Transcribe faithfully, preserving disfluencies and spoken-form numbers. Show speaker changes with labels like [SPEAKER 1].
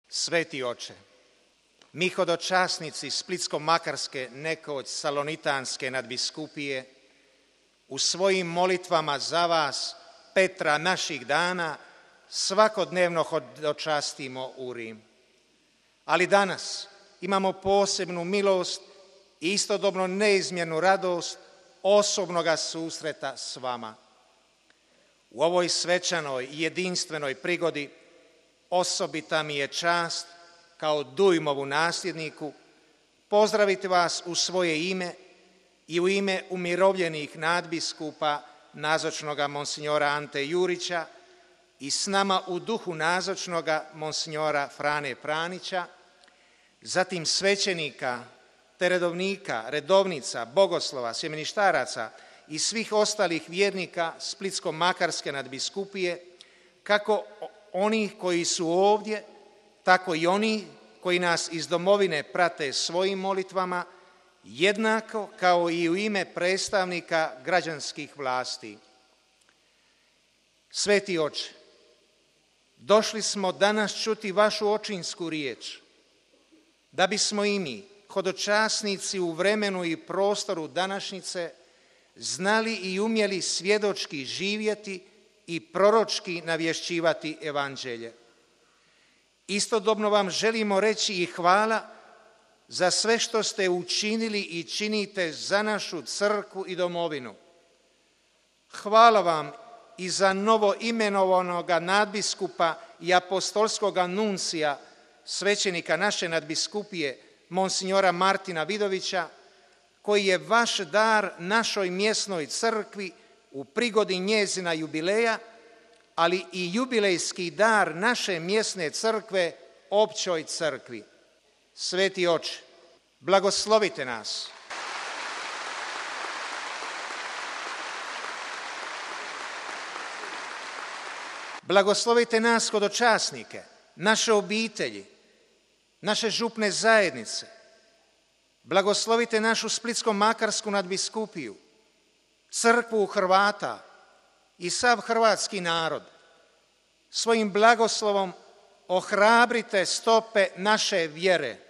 [SPEAKER 1] Sveti oče, mi hodočasnici Splitsko-makarske, nekoć salonitanske nadbiskupije, u svojim molitvama za vas, Petra naših dana, svakodnevno hodočastimo u Rim. Ali danas imamo posebnu milost i istodobno neizmjernu radost osobnoga susreta s vama. U ovoj svečanoj i jedinstvenoj prigodi osobita mi je čast kao Dujmovu nasljedniku pozdraviti vas u svoje ime i u ime umirovljenih nadbiskupa nazočnoga monsignora Ante Jurića i s nama u duhu nazočnoga monsignora Frane Pranića, zatim svećenika, te redovnika, redovnica, bogoslova, sjemeništaraca i svih ostalih vjernika Splitsko-makarske nadbiskupije, kako onih koji su ovdje, tako i oni koji nas iz domovine prate svojim molitvama, jednako kao i u ime predstavnika građanskih vlasti. Sveti oče, došli smo danas čuti vašu očinsku riječ, da bismo i mi, hodočasnici u vremenu i prostoru današnjice, znali i umjeli svjedočki živjeti i proročki navješćivati evanđelje. Istodobno vam želimo reći i hvala za sve što ste učinili i činite za našu crkvu i domovinu. Hvala vam i za novo imenovanoga nadbiskupa i apostolskoga nuncija, svećenika naše nadbiskupije, monsignora Martina Vidovića, koji je vaš dar našoj mjesnoj crkvi u prigodi njezina jubileja, ali i jubilejski dar naše mjesne crkve općoj crkvi. Sveti oče, blagoslovite nas. Blagoslovite nas hodočasnike, naše obitelji, naše župne zajednice. Blagoslovite našu Splitsko-makarsku nadbiskupiju, crkvu Hrvata i sav hrvatski narod. Svojim blagoslovom ohrabrite stope naše vjere